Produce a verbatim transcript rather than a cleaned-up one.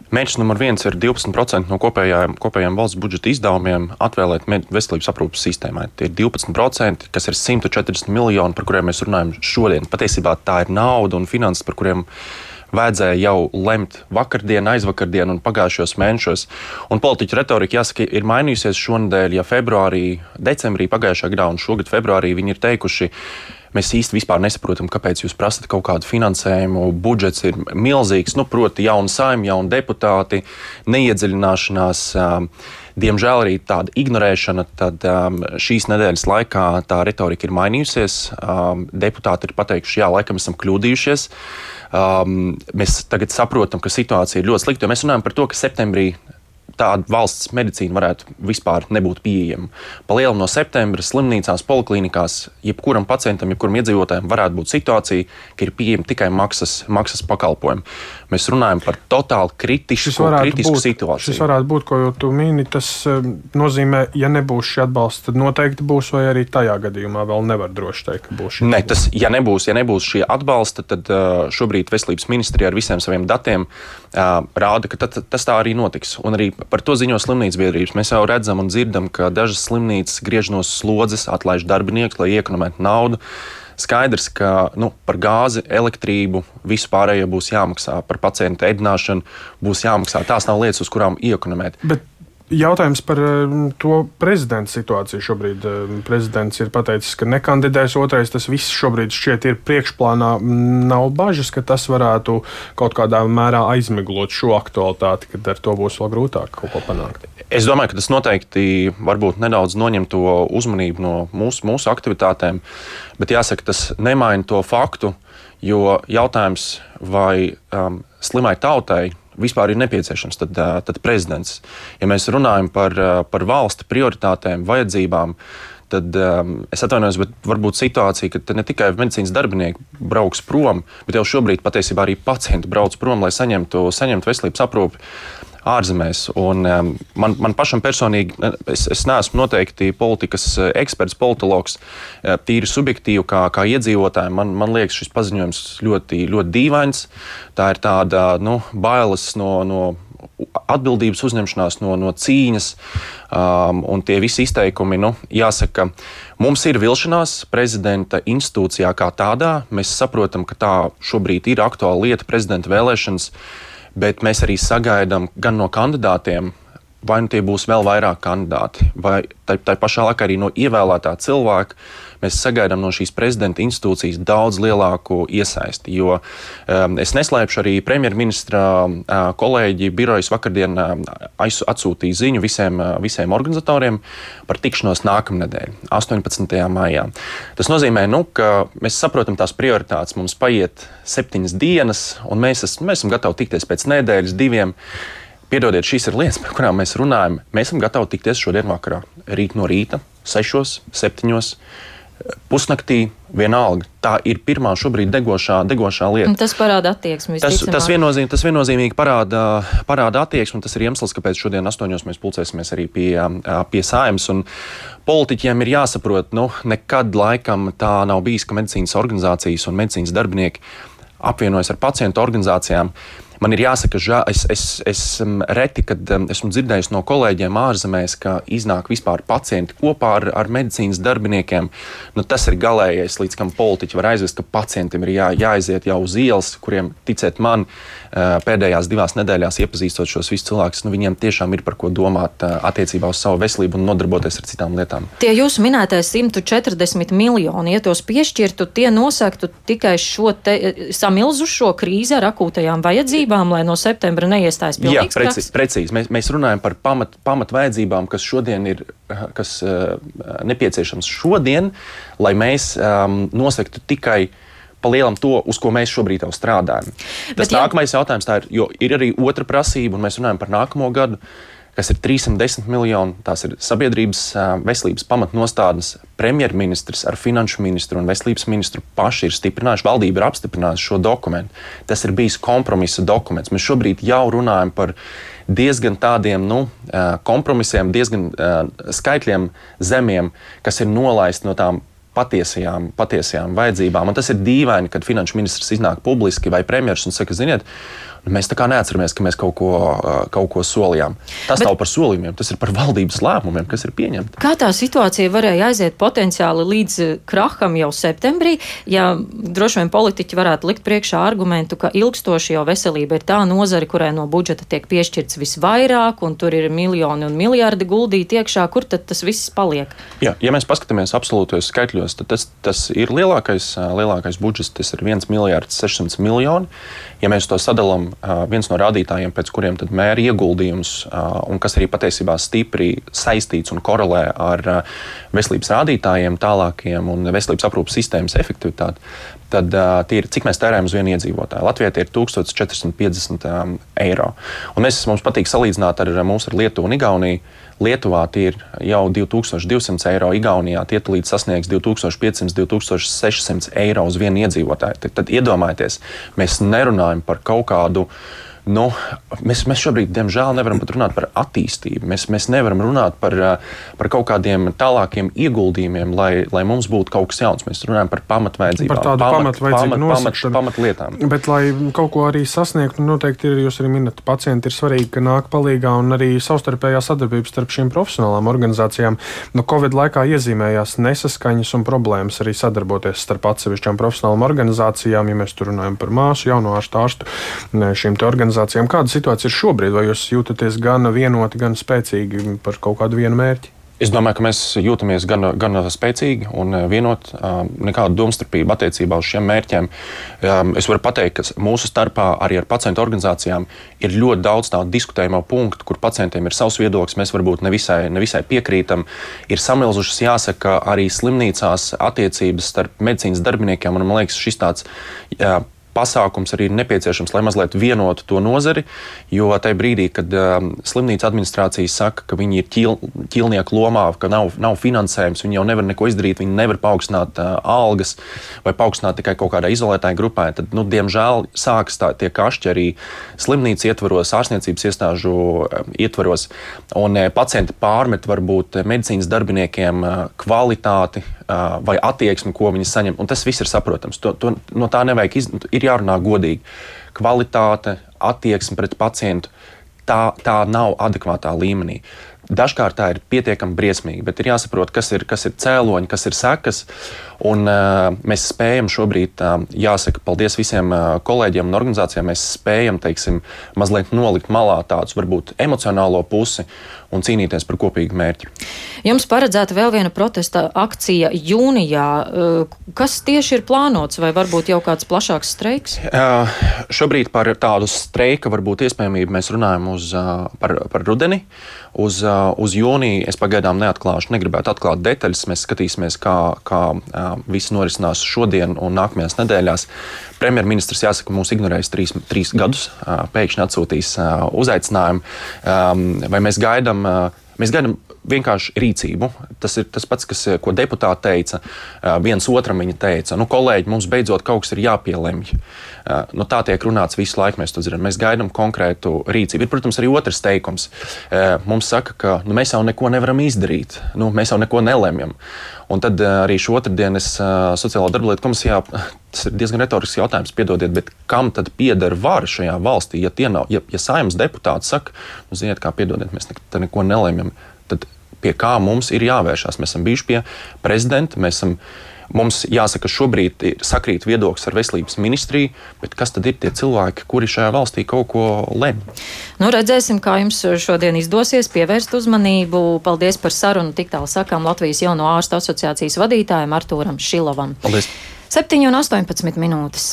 Mērķis numur viens ir divpadsmit procenti no kopējām, kopējām valsts budžeta izdevumiem atvēlēt veselības aprūpes sistēmai. Tie ir divpadsmit procenti, kas ir simt četrdesmit miljoni, par kuriem mēs runājam šodien. Patiesībā tā ir nauda un finanses, par kuriem vajadzēja jau lemt vakardien, aizvakardien un pagājušos mēnešos. Un politiķu retorika, jāsaka, ir mainījusies šonadēļ, ja februārī, decembrī pagājušā gadā un šogad februārī viņi ir teikuši, mēs īsti vispār nesaprotam, kāpēc jūs prasat kaut kādu finansējumu. Budžets ir milzīgs, nu, proti, jauni saimi, jauni deputāti, neiedziļināšanās, diemžēl arī tāda ignorēšana. Tad šīs nedēļas laikā tā retorika ir mainījusies. Deputāti ir pateikuši, jā, laikam esam kļūdījušies. Mēs tagad saprotam, ka situācija ir ļoti slikta, jo mēs runājam par to, ka septembrī tāda valsts medicīna varētu vispār nebūt pieejama. Palielam no septembra slimnīcās, poliklinikās, jebkuram pacientam, jebkuram iedzīvotājam varētu būt situācija, ka ir pieejama tikai maksas, maksas pakalpojumi. Mēs runājam par totāli kritisku, kritisku būt, situāciju. Šis varētu būt, ko tu mini, tas nozīmē, ja nebūs šī atbalsta, tad noteikti būs, vai arī tajā gadījumā vēl nevar droši teikt, ka būs šī ne, tas, ja nebūs, ja nebūs šie atbalsta, tad uh, šobrīd Veselības ministrija ar visiem saviem datiem uh, rāda, ka tad, tas tā arī notiks. Un arī par to ziņo slimnīcu biedrības. Mēs jau redzam un dzirdam, ka dažas slimnīcas griež no slodzes, atlaiž darbiniekus, lai iekonomētu naudu. Skaidrs, ka nu, par gāzi, elektrību, visu pārējo būs jāmaksā, par pacientu ēdināšanu būs jāmaksā. Tās nav lietas, uz kurām iekonomēt. Bet jautājums par to prezidenta situāciju šobrīd. Prezidents ir pateicis, ka nekandidēs, otrais, tas viss šobrīd šķiet ir priekšplānā. Nav bažas, ka tas varētu kaut kādā mērā aizmiglot šo aktualitāti, kad ar to būs vēl grūtāk kaut ko panākt. Es domāju, ka tas noteikti varbūt nedaudz noņem to uzmanību no mūsu, mūsu aktivitātēm, bet jāsaka, tas nemaina to faktu, jo jautājums, vai um, slimai tautai vispār ir nepieciešams tad, tad prezidents. Ja mēs runājam par, par valsti prioritātēm, vajadzībām, tad um, es atvainojos, bet varbūt situācija, ka ne tikai medicīnas darbinieki brauks prom, bet jau šobrīd patiesībā arī pacienti brauc prom, lai saņemtu, saņemtu veselības aprūpi ārzemēs. Un, um, man, man pašam personīgi, es, es neesmu noteikti politikas eksperts, politologs, tīri subjektīvi kā, kā iedzīvotājiem. Man, man liekas, šis paziņojums ļoti, ļoti dīvains. Tā ir tāda nu, bailes no, no atbildības uzņemšanās, no, no cīņas, um, un tie visi izteikumi, nu, jāsaka, mums ir vilšanās prezidenta institūcijā kā tādā. Mēs saprotam, ka tā šobrīd ir aktuāla lieta, prezidenta vēlēšanas, bet mēs arī sagaidām gan no kandidātiem, vai nu tie būs vēl vairāk kandidāti, vai tā, tā pašā laikā arī no ievēlētā cilvēka. Mēs sagaidām no šīs prezidenta institūcijas daudz lielāku iesaisti, jo um, es neslēpšu, arī premjerministra uh, kolēģi birojas vakardien uh, atsūtīja ziņu visiem, uh, visiem organizatoriem par tikšanos nākamnedēļ, astoņpadsmitajā maijā. Tas nozīmē, nu, ka mēs saprotam tās prioritātes, mums paiet septiņas dienas, un mēs, es, mēs esam gatavi tikties pēc nedēļas, diviem. Piedodiet, šīs ir lietas, par kurām mēs runājam. Mēs esam gatavi tikties šodien vakarā, rīt no rīta, sešos, septiņos, pusnaktī, vienalga. Tā ir pirmā šobrīd degošā, degošā lieta. Tas parāda attieksmi. Tas, tas, viennozīmīgi, tas viennozīmīgi parāda, parāda attieksmi, un tas ir iemesls, kāpēc šodien astoņos mēs pulcēsimies arī pie, pie Saeimas. Un politiķiem ir jāsaprot, nu, nekad laikam tā nav bijis, ka medicīnas organizācijas un medicīnas darbinieki apvienojas ar pacientu organizācijām. Man ir jāsaka, žā, es, es, es reti, kad esmu dzirdējis no kolēģiem ārzemēs, ka iznāk vispār pacienti kopā ar, ar medicīnas darbiniekiem. Nu, tas ir galējais, līdz kam politiķi var aizvest, ka pacientiem ir jā, jāaiziet jau uz ielas, kuriem, ticiet man, pēdējās divās nedēļās iepazīstot šos visus cilvēkus, nu, viņiem tiešām ir par ko domāt attiecībā uz savu veselību un nodarboties ar citām lietām. Tie jūsu minētais simt četrdesmit miljoni, ja tos piešķirtu, tie nosaktu tikai šo te, samilzušo krīzi ar akūtajām vajadzībām, lai no septembra neiestājas pilnīgs kraks? Jā, precīzi. precīzi. Mēs, mēs runājam par pamat, pamat vajadzībām, kas šodien ir kas, uh, nepieciešams šodien, lai mēs um, nosaktu tikai palielam to, uz ko mēs šobrīd jau strādājam. Tas Bet, nākamais jā... jautājums tā ir, jo ir arī otra prasība, un mēs runājam par nākamo gadu, kas ir trīssimt desmit miljoni, tās ir sabiedrības veselības pamatnostādnes. Premjerministrs ar finanšu ministru un veselības ministru paši ir stiprinājuši, valdība ir apstiprinājusi šo dokumentu. Tas ir bijis kompromisa dokuments. Mēs šobrīd jau runājam par diezgan tādiem nu, kompromisiem, diezgan skaitļiem zemiem, kas ir nolaisti no tām patiesajām, patiesajām vajadzībām. Un tas ir dīvaini, kad finanšu ministrs iznāk publiski vai premjers un saka, ziniet, Mēs tā kā neatceramies, ka mēs kaut ko, kaut ko solījām. Tas Bet, nav par solījumiem, tas ir par valdības lēmumiem, kas ir pieņemti. Kā tā situācija varēja aiziet potenciāli līdz kraham jau septembrī, ja droši vien politiķi varētu likt priekšā argumentu, ka ilgstoši jau veselība ir tā nozare, kurai no budžeta tiek piešķirts visvairāk, un tur ir miljoni un miljardi guldīti iekšā, kur tad tas viss paliek? Jā, ja mēs paskatāmies absolūtos skaitļos, tad tas, tas ir lielākais, lielākais budžets, tas ir viens miljards sešsimt miljoni. Ja mēs to sadalām, viens no rādītājiem, pēc kuriem tad mēra ieguldījums, un kas arī patiesībā stipri saistīts un korelē ar veselības rādītājiem tālākiem un veselības aprūpes sistēmas efektivitāti, tad tie ir, cik mēs tērējam uz vienu iedzīvotāju. Latvijā tie ir tūkstoš četri simti piecdesmit eiro. Un mēs, mums patīk salīdzināt ar mūsu ar Lietuvu un Igauniju. Lietuvā tie ir jau divi tūkstoši divsimt eiro, Igaunijā tie tulīt sasniegs divi tūkstoši piecsimt līdz divi tūkstoši sešsimt eiro uz vienu iedzīvotāju. Tad, tad iedomājieties, mēs nerunājam par kaut kādu. Nu, mēs, mēs šobrīd, diemžēl, nevaram pat runāt par attīstību. Mēs, mēs nevaram runāt par, par kaut kādiem tālākiem ieguldījumiem, lai, lai mums būtu kaut kas jauns. Mēs runājam par pamatvajadzībām, par tādu pamatvajadzību nosakšanu. Pamatlietām. Bet, lai kaut ko arī sasniegtu, noteikti ir, jūs arī minat, pacienti ir svarīgi, ka nāk palīgā un arī savstarpējā sadarbības starp šīm profesionālām organizācijām. No Covid laikā iezīmējās nesaskaņas un problēmas arī sadarboties starp atsevišķām profesionālām organizācijām, ja mēs tur runājam par māsu, jauno ārstu, ārstu, šīm te organizācijām. Kāda situācija ir šobrīd? Vai jūs jūtaties gan vienoti, gan spēcīgi par kaut kādu vienu mērķi? Es domāju, ka mēs jūtamies gan, gan spēcīgi un vienot, nekādu domstarpību attiecībā uz šiem mērķiem. Es varu pateikt, ka mūsu starpā arī ar pacientu organizācijām ir ļoti daudz tādu diskutējumu punktu, kur pacientiem ir savs viedoklis, mēs varbūt nevisai, nevisai piekrītam. Ir samilzušas, jāsaka, arī slimnīcās attiecības starp medicīnas darbiniekiem, un man liekas, šis tāds jā, pasākums arī ir nepieciešams, lai mazliet vienotu to nozari, jo tajā brīdī, kad um, slimnīca administrācija saka, ka viņi ir ķil, ķilnieku lomā, ka nav, nav finansējums, viņi jau nevar neko izdarīt, viņi nevar paaugstināt uh, algas vai paaugstināt tikai kaut kādai izolētai grupai, tad, nu, diemžēl, sākas tā, tie kašķi arī slimnīca ietvaros, ārstniecības iestāžu um, ietvaros, un uh, pacienti pārmet varbūt medicīnas darbiniekiem uh, kvalitāti uh, vai attieksmi, ko viņi saņem, un tas viss ir saprotams. To, to, no tā nevajag iz, ir jārunā godīgi. Kvalitāte, attieksme pret pacientu, tā, tā nav adekvātā līmenī. Dažkārt tā ir pietiekami briesmīgi, bet ir jāsaprot, kas ir, kas ir cēloņi, kas ir sekas. Un, uh, mēs spējam šobrīd, uh, jāsaka, paldies visiem uh, kolēģiem un organizācijām, mēs spējam, teiksim, mazliet nolikt malā tādus varbūt emocionālo pusi un cīnīties par kopīgu mērķi. Jums paredzēta vēl viena protesta akcija jūnijā. Kas tieši ir plānots, vai varbūt jau kāds plašāks streiks? Uh, šobrīd par tādu streika varbūt iespējamību mēs runājam uz, uh, par, par rudeni. Uz, uh, uz jūniju es pagaidām neatklāšu, negribētu atklāt detaļas. Mēs skatīsimies, kā, kā uh, viss norisinās šodien un nākamajās nedēļās. Premjerministrs, jāsaka, mūs ignorējis trīs, trīs gadus, uh, pēkšņi atsūtīs uh, uzaicinājumu. Um, vai mēs gaidām, uh, mēs gaidām vienkārši rīcību. Tas ir tas pats, kas, ko deputāti teica, viens otram viņa teica. Nu, kolēģi, mums beidzot kaut kas ir jāpielemj. Nu, tā tiek runāts visu laiku, mēs to zinām. Mēs gaidām konkrētu rīcību. Ir, protams, arī otrs teikums. Mums saka, ka nu, mēs jau neko nevaram izdarīt. Nu, mēs jau neko nelemjam. Un tad arī šo otrdienu es Sociālo darbu lietu komisijā, tas ir diezgan retorisks jautājums, piedodiet, bet kam tad pieder vara šajā valstī, ja tie nav, ja, ja Saeimas deputāti saka, nu, ziniet, kā piedodiet, mēs ne, neko nelemjam, tad pie kā mums ir jāvēršās. Mēs esam bijuši pie prezidenta, mēs esam, mums jāsaka, šobrīd sakrīt viedoklis ar veselības ministriju, bet kas tad ir tie cilvēki, kuri šajā valstī kaut ko lemj? Nu, redzēsim, kā jums šodien izdosies pievērst uzmanību. Paldies par sarunu. Tik tālu sakām Latvijas Jauno ārstu asociācijas vadītājam Artūram Šilovam. Paldies. septiņi un astoņpadsmit minūtes.